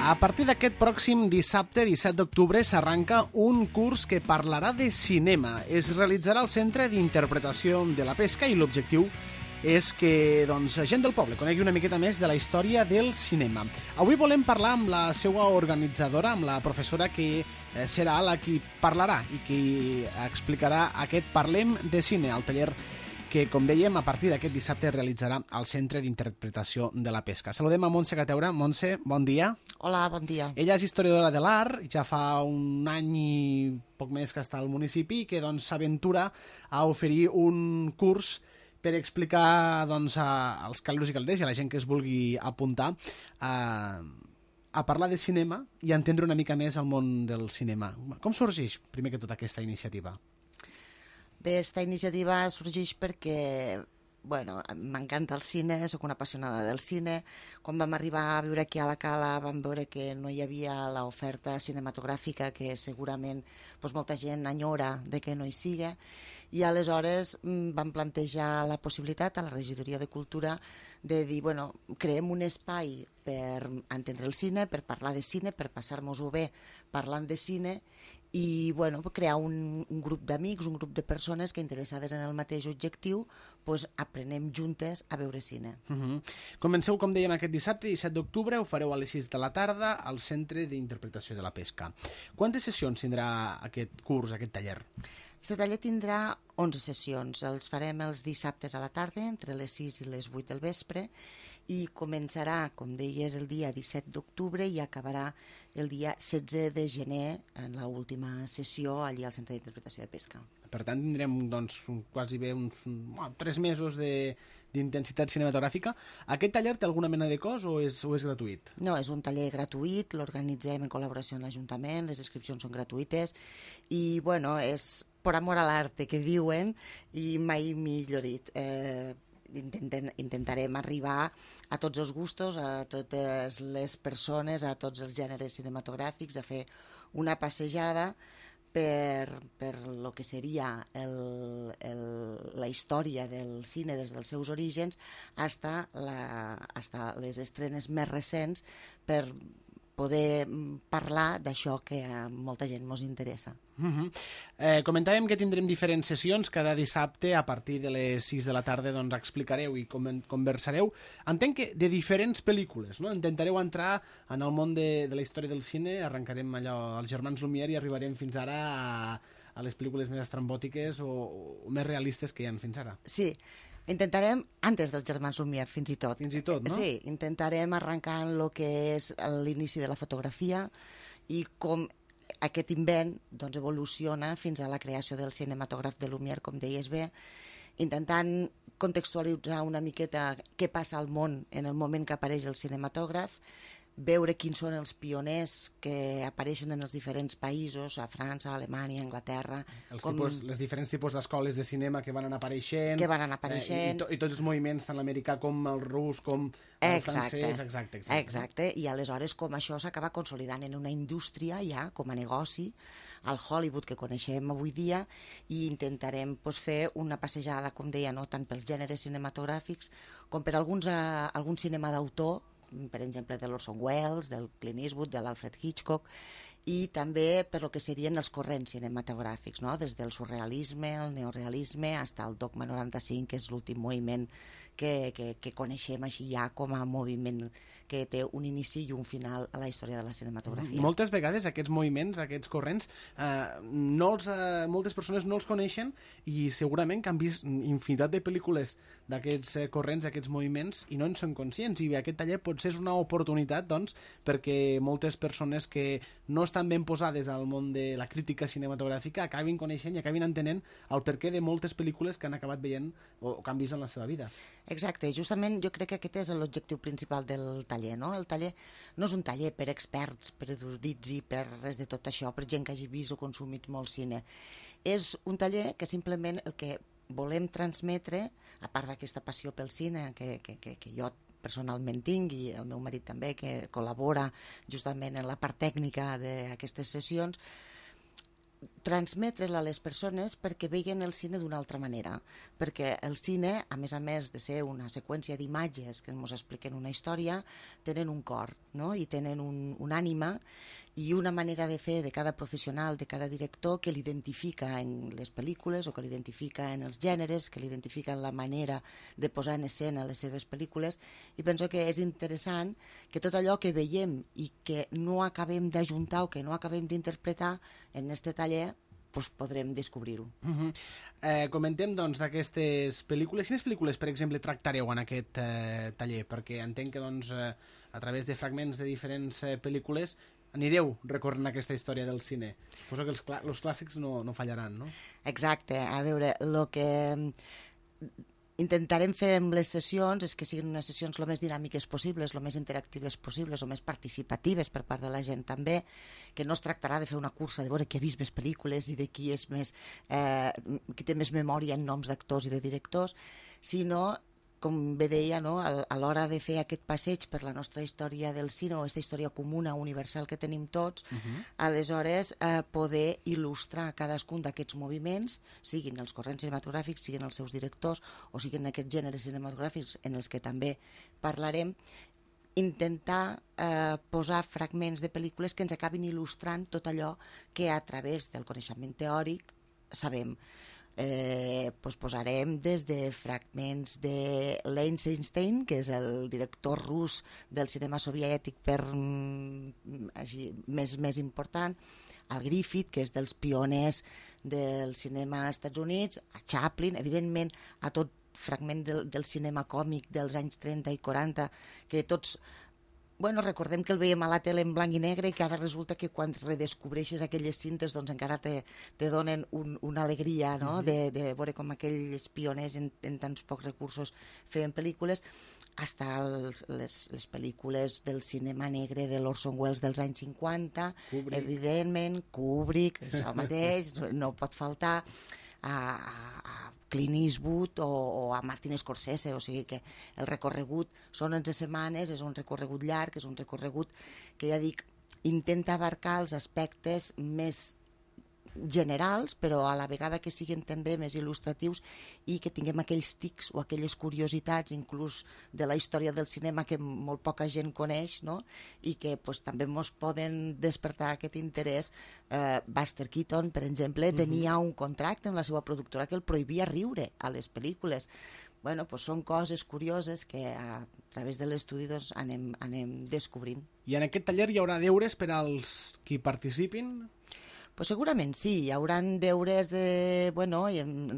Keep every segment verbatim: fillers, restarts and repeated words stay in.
A partir d'aquest pròxim dissabte, disset d'octubre, s'arranca un curs que parlarà de cinema. Es realitzarà al Centre d'Interpretació de la Pesca i l'objectiu és que doncs, gent del poble conegui una miqueta més de la història del cinema. Avui volem parlar amb la seva organitzadora, amb la professora que serà la qui parlarà i qui explicarà aquest Parlem de Cine, al taller que, com dèiem, a partir d'aquest dissabte realitzarà al Centre d'Interpretació de la Pesca. Saludem a Montse Cateura. Montse, bon dia. Hola, bon dia. Ella és historiadora de l'art, ja fa un any i poc més que està al municipi i que doncs, s'aventura a oferir un curs per explicar doncs, a, als caldos i caldes i a la gent que es vulgui apuntar a, a parlar de cinema i a entendre una mica més el món del cinema. Com sorgeix, primer que tot, aquesta iniciativa? Bé, aquesta iniciativa sorgeix perquè bueno, m'encanta el cine, sóc una apassionada del cine. Quan vam arribar a viure aquí a la Cala vam veure que no hi havia l'oferta cinematogràfica que segurament doncs, molta gent enyora de que no hi siga, i aleshores vam plantejar la possibilitat a la Regidoria de Cultura de dir, bueno, creem un espai per entendre el cine, per parlar de cine, per passar-nos-ho bé parlant de cine i bueno, crear un, un grup d'amics, un grup de persones que interessades en el mateix objectiu pues, aprenem juntes a veure cine. Uh -huh. Comenceu, com dèiem, aquest dissabte, disset d'octubre, ho fareu a les sis de la tarda al Centre d'Interpretació de la Pesca. Quantes sessions tindrà aquest curs, aquest taller? Aquest taller tindrà onze sessions. Els farem els dissabtes a la tarda, entre les sis i les vuit del vespre, i començarà, com deies, el dia disset d'octubre i acabarà el dia setze de gener en l'última sessió allí al Centre d'Interpretació de Pesca. Per tant, tindrem doncs, quasi bé uns bueno, tres mesos de d'intensitat cinematogràfica. Aquest taller té alguna mena de cost o és, o és gratuït? No, és un taller gratuït, l'organitzem en col·laboració amb l'Ajuntament, les inscripcions són gratuïtes i, bueno, és per amor a l'arte, que diuen, i mai millor dit. Eh, intenten, intentarem arribar a tots els gustos, a totes les persones, a tots els gèneres cinematogràfics, a fer una passejada per, per lo que seria el, el, la història del cine des dels seus orígens hasta, la, hasta les estrenes més recents, per poder parlar d'això que a molta gent ens interessa. Uh -huh. eh, comentàvem que tindrem diferents sessions cada dissabte a partir de les sis de la tarda, doncs explicareu i com conversareu. Entenc que de diferents pel·lícules, no? Intentareu entrar en el món de, de la història del cine, arrencarem allò als germans Lumière i arribarem fins ara a, a les pel·lícules més estrambòtiques o, o més realistes que hi ha fins ara. Sí, intentarem, antes dels germans Lumière, fins i tot. Fins i tot, no? Sí, intentarem arrencar en el que és l'inici de la fotografia i com aquest invent doncs, evoluciona fins a la creació del cinematògraf de Lumière, com deies bé, intentant contextualitzar una miqueta què passa al món en el moment que apareix el cinematògraf, veure quins són els pioners que apareixen en els diferents països, a França, a Alemanya, a Anglaterra. Els com... tipus, les diferents tipus d'escoles de cinema que van anar apareixent. Que van anar apareixent. Eh, i, to, I tots els moviments, tant l'americà com el rus, com el exacte. francès. Exacte, exacte. Exacte, i aleshores com això s'acaba consolidant en una indústria ja, com a negoci, al Hollywood que coneixem avui dia, i intentarem pues, fer una passejada, com deia, no? Tant pels gèneres cinematogràfics com per alguns, uh, algun cinema d'autor, per exemple de l'Orson Welles, del Clint Eastwood, de l'Alfred Hitchcock, i també per lo que serien els corrents cinematogràfics, no? Des del surrealisme, el neorealisme, fins al Dogma noranta-cinc, que és l'últim moviment que, que, que coneixem així ja com a moviment que té un inici i un final a la història de la cinematografia. Moltes vegades aquests moviments, aquests corrents, eh, no els, eh, moltes persones no els coneixen i segurament que han vist infinitat de pel·lícules d'aquests eh, corrents, d'aquests moviments, i no en són conscients, i aquest taller potser és una oportunitat doncs, perquè moltes persones que no estan ben posades al món de la crítica cinematogràfica acabin coneixent i acabin entenent el perquè de moltes pel·lícules que han acabat veient o que han vist en la seva vida. Exacte, justament jo crec que aquest és l'objectiu principal del taller, no? El taller no és un taller per experts, per erudits i per res de tot això, per gent que hagi vist o consumit molt cine. És un taller que simplement el que volem transmetre, a part d'aquesta passió pel cine que, que, que, que jo personalment tinc i el meu marit també, que col·labora justament en la part tècnica d'aquestes sessions, transmetre-la a les persones perquè vegin el cine d'una altra manera, perquè el cine, a més a més de ser una seqüència d'imatges que ens expliquen una història, tenen un cor, no? I tenen un, un ànima i una manera de fer de cada professional, de cada director, que l'identifica en les pel·lícules o que l'identifica en els gèneres, que l'identifica en la manera de posar en escena les seves pel·lícules, i penso que és interessant que tot allò que veiem i que no acabem d'ajuntar o que no acabem d'interpretar en este taller, doncs podrem descobrir-ho. Uh -huh. eh, comentem, doncs, d'aquestes pel·lícules. Quines pel·lícules, per exemple, tractareu en aquest eh, taller? Perquè entenc que, doncs, eh, a través de fragments de diferents eh, pel·lícules anireu recorrent aquesta història del cine. Suposo que els, clà els clàssics no, no fallaran, no? Exacte. A veure, el que intentarem fer amb les sessions és que siguin unes sessions el més dinàmiques possibles, el més interactives possibles, el més participatives per part de la gent també, que no es tractarà de fer una cursa de veure qui ha vist més pel·lícules i de qui és més, eh, qui té més memòria en noms d'actors i de directors, sinó, com bé deia, no? a l'hora de fer aquest passeig per la nostra història del cine o aquesta història comuna, universal que tenim tots, uh-huh. aleshores eh, poder il·lustrar cadascun d'aquests moviments, siguin els corrents cinematogràfics, siguin els seus directors o siguin aquests gèneres cinematogràfics en els que també parlarem, intentar eh, posar fragments de pel·lícules que ens acabin il·lustrant tot allò que a través del coneixement teòric sabem. Eh, pues posarem des de fragments de Eisenstein, que és el director rus del cinema soviètic per, mm, així, més, més important, al Griffith, que és dels pioners del cinema als Estats Units, a Chaplin, evidentment a tot fragment del, del cinema còmic dels anys trenta i quaranta, que tots... Bueno, recordem que el veiem a la tele en blanc i negre i que ara resulta que quan redescobreixes aquelles cintes doncs encara te, te donen un, una alegria, no? Uh-huh. de, de veure com aquells pioners en, en tants pocs recursos feien pel·lícules, hasta els, les, les pel·lícules del cinema negre de l'Orson Welles dels anys cinquanta, Kubrick. Evidentment, Kubrick, això mateix, no, no pot faltar, a, a Clint Eastwood o, o a Martin Scorsese, o sigui que el recorregut són onze setmanes, és un recorregut llarg, és un recorregut que ja dic, intenta abarcar els aspectes més generals, però a la vegada que siguin també més il·lustratius i que tinguem aquells tics o aquelles curiositats inclús de la història del cinema que molt poca gent coneix, no? I que pues, també ens poden despertar aquest interès. Eh, Buster Keaton, per exemple, tenia un contracte amb la seva productora que el prohibia riure a les pel·lícules. Bueno, pues són coses curioses que a través de l'estudi doncs, anem, anem descobrint. I en aquest taller hi haurà deures per als qui participin? Pues segurament sí, hi haurà deures de bueno,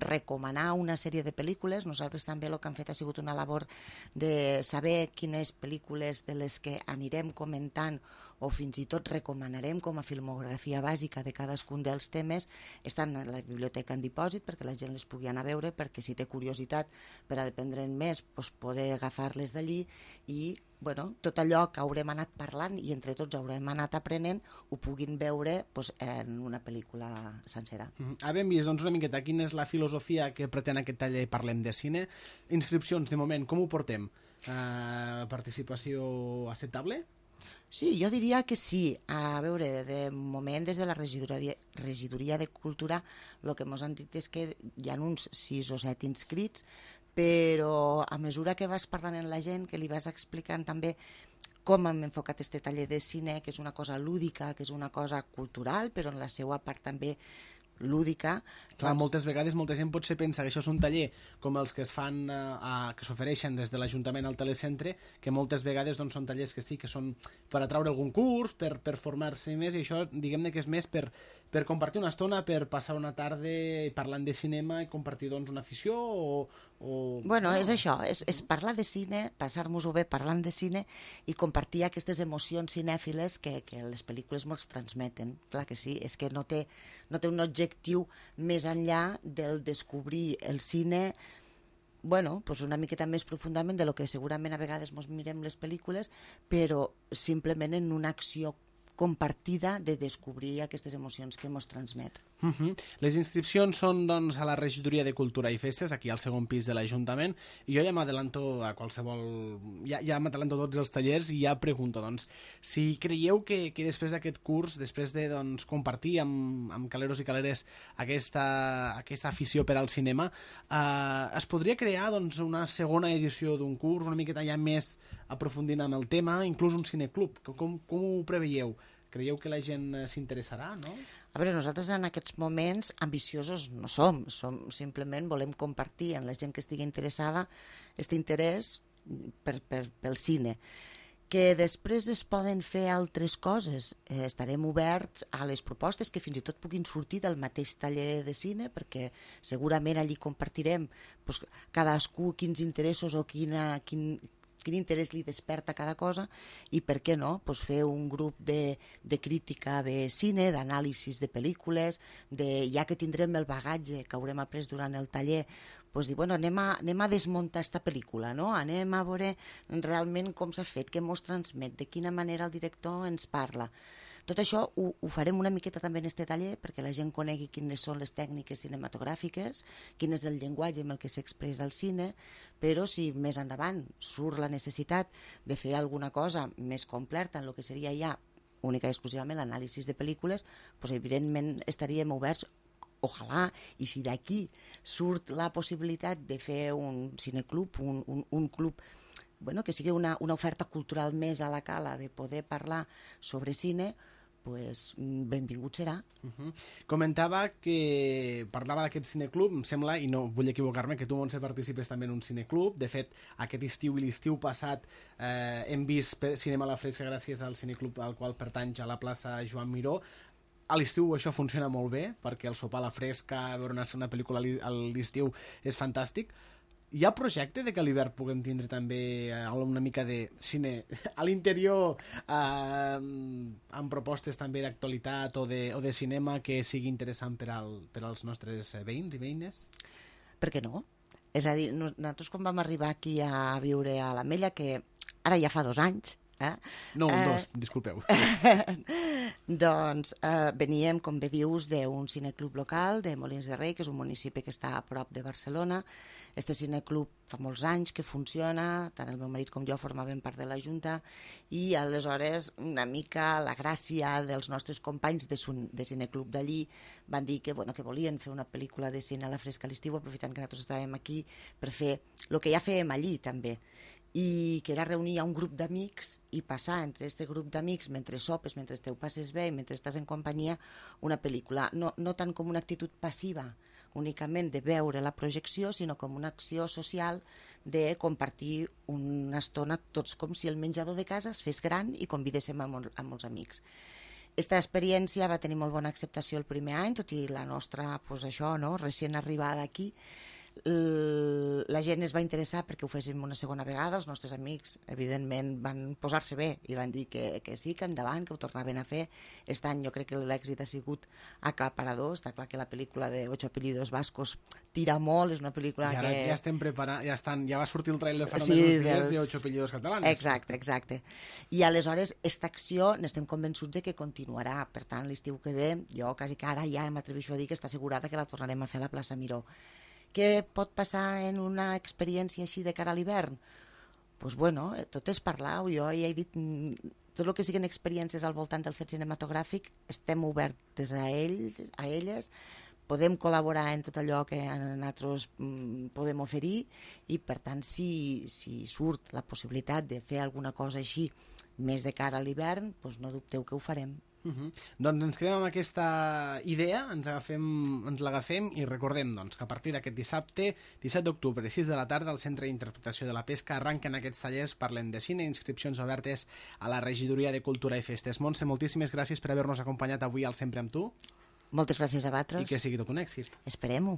recomanar una sèrie de pel·lícules. Nosaltres també el que hem fet ha sigut una labor de saber quines pel·lícules de les que anirem comentant o fins i tot recomanarem com a filmografia bàsica de cadascun dels temes estan a la biblioteca en dipòsit perquè la gent les pugui anar a veure, perquè si té curiositat per a aprendre'n més, doncs poder agafar-les d'allí i bueno, tot allò que haurem anat parlant i entre tots haurem anat aprenent ho puguin veure doncs, en una pel·lícula sencera. Mm -hmm. Havem vist doncs, una miqueta quina és la filosofia que pretén aquest taller Parlem de Cine. Inscripcions, de moment, com ho portem? Uh, participació acceptable? Sí, jo diria que sí. A veure, de moment des de la regidoria, regidoria de Cultura el que ens han dit és que hi ha uns sis o set inscrits, però a mesura que vas parlant amb la gent, que li vas explicant també com hem enfocat este taller de cine, que és una cosa lúdica, que és una cosa cultural, però en la seva part també lúdica. Clar, doncs... moltes vegades molta gent potser pensa que això és un taller com els que es fan, eh, que s'ofereixen des de l'Ajuntament al telecentre, que moltes vegades doncs, són tallers que sí, que són per atraure algun curs, per, per formar-se més, i això diguem-ne que és més per, per compartir una estona, per passar una tarda parlant de cinema i compartir doncs, una afició o... o... Bueno, és això, és, és parlar de cine, passar-nos-ho bé parlant de cine i compartir aquestes emocions cinèfiles que, que les pel·lícules ens transmeten. Clar que sí, és que no té, no té un objectiu més enllà del descobrir el cine bueno, pues una miqueta més profundament de lo que segurament a vegades ens mirem les pel·lícules, però simplement en una acció compartida de descobrir aquestes emocions que ens transmet. Uh-huh. Les inscripcions són doncs, a la Regidoria de Cultura i Festes, aquí al segon pis de l'Ajuntament, i jo ja m'adelanto a qualsevol... Ja, ja m'adelanto tots els tallers i ja pregunto, doncs, si creieu que, que després d'aquest curs, després de doncs, compartir amb, amb caleros i caleres aquesta, aquesta afició per al cinema, eh, es podria crear doncs, una segona edició d'un curs, una miqueta ja més aprofundint amb el tema, inclús un cineclub. Com, com ho preveieu? Creieu que la gent s'interessarà, no? A veure, nosaltres en aquests moments ambiciosos no som, som simplement volem compartir amb la gent que estigui interessada aquest interès per, per, pel cine. Que després es poden fer altres coses. Eh, estarem oberts a les propostes que fins i tot puguin sortir del mateix taller de cine, perquè segurament allí compartirem doncs, cadascú quins interessos o quina... quin, quin interès li desperta cada cosa i per què no, pues fer un grup de, de crítica de cine, d'anàlisis de pel·lícules, de, ja que tindrem el bagatge que haurem après durant el taller, pues dir, bueno, anem a, anem a desmuntar esta pel·lícula, no? Anem a veure realment com s'ha fet, què ens transmet, de quina manera el director ens parla. Tot això ho, ho farem una miqueta també en este taller perquè la gent conegui quines són les tècniques cinematogràfiques, quin és el llenguatge amb el que s'expressa el cine, però si més endavant surt la necessitat de fer alguna cosa més completa en el que seria ja única i exclusivament l'anàlisi de pel·lícules, doncs evidentment estaríem oberts, ojalà, i si d'aquí surt la possibilitat de fer un cineclub, un, un, un club bueno, que sigui una, una oferta cultural més a la cala de poder parlar sobre cine, pues, benvingut serà. Uh-huh. Comentava que parlava d'aquest cineclub, em sembla, i no vull equivocar-me, que tu, Montse, participes també en un cineclub. De fet, aquest estiu i l'estiu passat eh, hem vist cinema a la fresca gràcies al cineclub al qual pertany a la plaça Joan Miró. A l'estiu això funciona molt bé, perquè el sopar a la fresca, veure una, una pel·lícula a l'estiu és fantàstic. Hi ha projecte de que a l'hivern puguem tindre també una mica de cine a l'interior eh, amb propostes també d'actualitat o, de, o de cinema que sigui interessant per, al, per als nostres veïns i veïnes? Per què no? És a dir, nosaltres quan vam arribar aquí a viure a l'Ametlla, que ara ja fa dos anys, Eh? No, un, eh, dos, disculpeu. doncs eh, veníem, com bé dius, d'un cineclub local de Molins de Rei, que és un municipi que està a prop de Barcelona. Este cineclub fa molts anys que funciona, tant el meu marit com jo formàvem part de la Junta, i aleshores una mica la gràcia dels nostres companys de, de cineclub d'allí van dir que, bueno, que volien fer una pel·lícula de cine a la fresca a l'estiu, aprofitant que nosaltres estàvem aquí per fer el que ja fèiem allí també, i que era reunir un grup d'amics i passar entre aquest grup d'amics, mentre sopes, mentre te ho passes bé, mentre estàs en companyia, una pel·lícula. No, no tant com una actitud passiva, únicament de veure la projecció, sinó com una acció social de compartir una estona tots com si el menjador de casa es fes gran i convidéssim a, mol, a molts amics. Aquesta experiència va tenir molt bona acceptació el primer any, tot i la nostra, pues això, no?, recent arribada aquí. La gent es va interessar perquè ho féssim una segona vegada, els nostres amics evidentment van posar-se bé i van dir que, que sí, que endavant, que ho tornaven a fer. Aquest any jo crec que l'èxit ha sigut aclaparador, està clar que la pel·lícula de Ocho apellidos vascos tira molt, és una pel·lícula I ara que... ja estem preparant, ja, estan, ja va sortir el trailer fa sí, només uns dies dels... de Ocho apellidos catalans. Exacte, exacte. I aleshores, aquesta acció n'estem convençuts de que continuarà, per tant, l'estiu que ve, jo quasi que ara ja m'atreveixo a dir que està assegurada que la tornarem a fer a la plaça Miró. Què pot passar en una experiència així de cara a l'hivern? Doncs pues bueno, tot és parlar, jo ja he dit, tot el que siguin experiències al voltant del fet cinematogràfic, estem obertes a ells, a elles, podem col·laborar en tot allò que nosaltres podem oferir i, per tant, si, si surt la possibilitat de fer alguna cosa així més de cara a l'hivern, doncs no dubteu que ho farem. Uh-huh. Doncs ens quedem amb aquesta idea, ens agafem, ens l'agafem i recordem doncs, que a partir d'aquest dissabte, disset d'octubre, sis de la tarda, al Centre d'Interpretació de la Pesca arranquen aquests tallers, parlen de cine, inscripcions obertes a la Regidoria de Cultura i Festes. Montse, moltíssimes gràcies per haver-nos acompanyat avui al Sempre amb tu. Moltes gràcies a vosaltres. I que sigui tot un èxit. Esperem-ho.